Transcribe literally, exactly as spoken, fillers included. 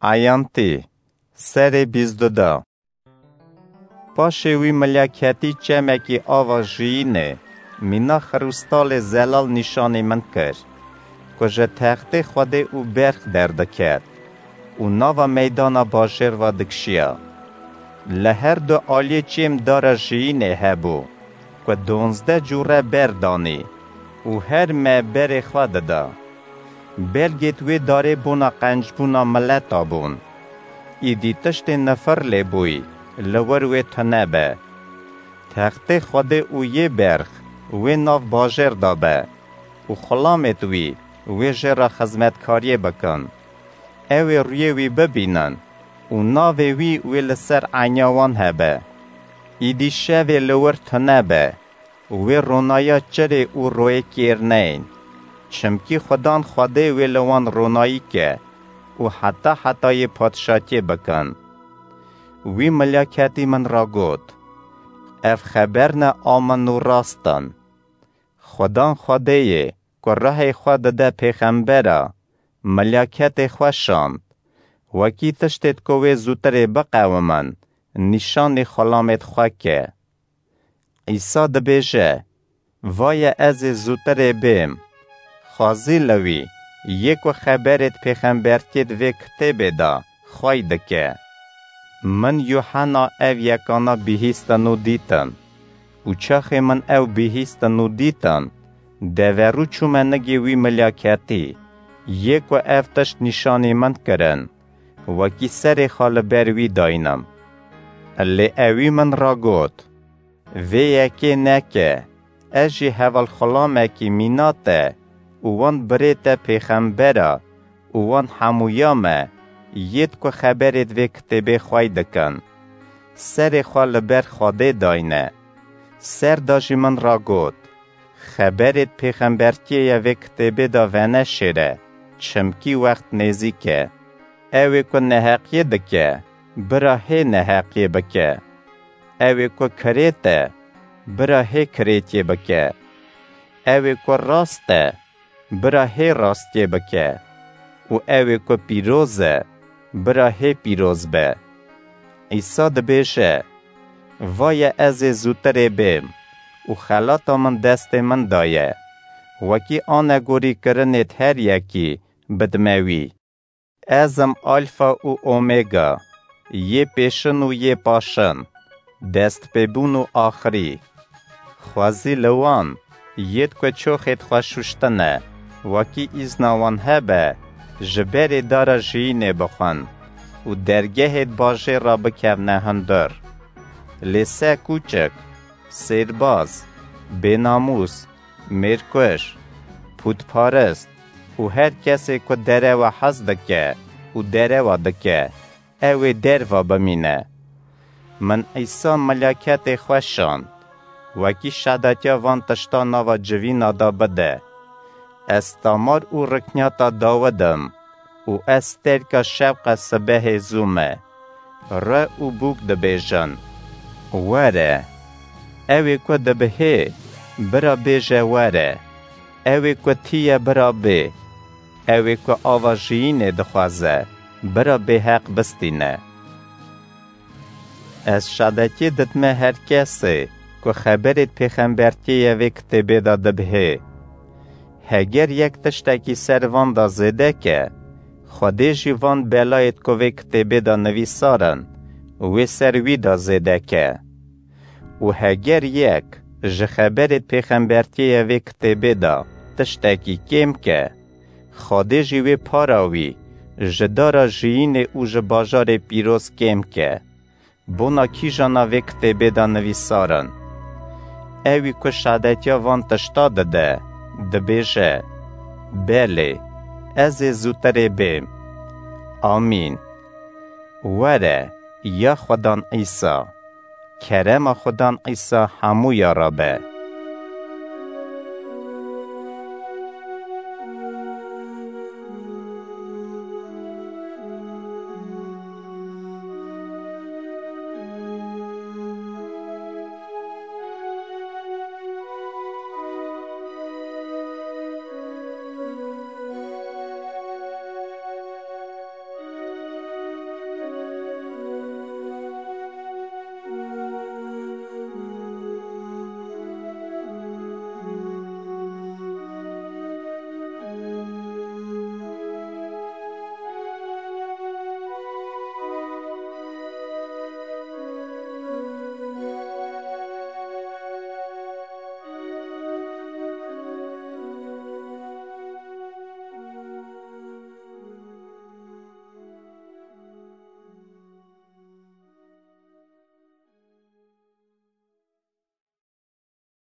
Eyantî, serê bîst du da. Paşê wî milyaketî çemekî ava jiyînê, mîna xirûstalê zelal nîşanî min kir, ku ji textê Xwedê û berx derdiket û nava meydana bajêr ve dikişiya. Li her du aliyê çêm dara jiyînê hebû, ku donzdeh cûre ber danî û her me berê xwe dida. Belgêt wê darê bona qencbûna mileta bûn. Îdî tiştê nifir lê bûyî, li wir wê tune be. Textê Xwedê û yê berx wê nav bajêr de be û xulamêt wî wê jê re xizmetkariyê bikin. Ew ê rûyê wî bibînin û navê wî wê li ser enya wan hebe. Îdî şevê li wir tune be, wê ronaya çirê û royê kêr neyên, çimkî Xudan Xwedê wê li wan ronayî ke û heta hetayê padşatiyê bikin. Wî milyaketî min re got, Ev xeberne a min û rast in. Xudan Xwedê yê ku rehê xwe dide pêxembera, milyaketê xwe şand, wekî tiştêt ku wê zûtirê biqewimin, nîşanî xulamêt xwe ke. Îsa dibêje, Vaye ez ê zûtirê bêm. Xwezî li wî, yê ku xeberêt pêxembertiyêt vê kitêbê de xwey dike. Min Yuhena ev yekana bihîstin û dîtin. Û çaxê min ew bihîstin û dîtin, deverû çûme nigê wî milyaketî, yê ku ev tişt nîşanî min kirin, wekî serê xwe li ber wî daynim. Lê ewî min re got, Vê yekê neke, ez jî hevalxulamekî mîna te û wan birê te pêxembera û wan hemûya me, yêt ku xeberêt vê kitêbê xwey dikin, serê xwe li ber Xwedê dayne. Ser de jî min re got, Xeberêt pêxembertiyê ye vê kitêbê de veneşêre, çimkî wext nêzîk e. Ew ê ku neheqiyê dike, bira hê neheqiyê bike. Ew ê ku kirêt e, bira hê kirêtiyê bike. Ew ê ku rast e, bira hê rastiyê bike. Û ew ê ku pîroz e, bira hê pîroz be. Îsa dibêje, Vaye ez ê zûtirê bêm û xelata min destê min de ye. Wekî anegorî kirinêt her yekî bidime wî. Ez im Alfa û Omega, yê pêşin û yê paşin, destpêbûn û axirî. Xwezî li wan, yêt ku çoxêt xwe şûştine, wekî îzna wan hebe, ji berê dara jiyînê bixwin û dergehêt bajêr re bikevne hundir. Lê se kûçik, sêrbaz, bênamûs, mêrkuj, pûtparist û her kesê ku derewa hez dike û derewa dike, ew ê derva bimîne. Min Îsa milyaketê xwe şand, wekî şedetiya van tişta nava civîna de bide. Ez tamar û riknyata Dawid im û ez terka şewqa sibehê zû me. Re û bûk dibêjin, Were! Ew ê ku dibihê, bira bêje, Were! Ew ê ku tî ye, bira bê! Ew ê ku ava jiyînê dixwaze, bira bêheq bistîne. Ez şadetiyê didime her kesê ku xeberêt pêxembertiyê ye vê kitêbê de dibihê. Heger yek tiştekî ser van de zêde ke, Xwedê jî van belayêt ku vê kitêbê de nivîsar in, wê ser wî de zêde ke. Û heger yek ji xeberêt pêxembertiyê ye vê kitêbê de tiştekî kêm ke, Xwedê jî wê para wî ji dara jiyînê û ji bajarê pîroz kêm ke. Bona kîjana vê kitêbê de nivîsar in? Ewî ku şadetiya van tişta dide, dibêje, Belê, ez ê zûtirê bêm. Amîn. Were, ya Xudan Îsa. Kerema Xudan Îsa hemûya re be.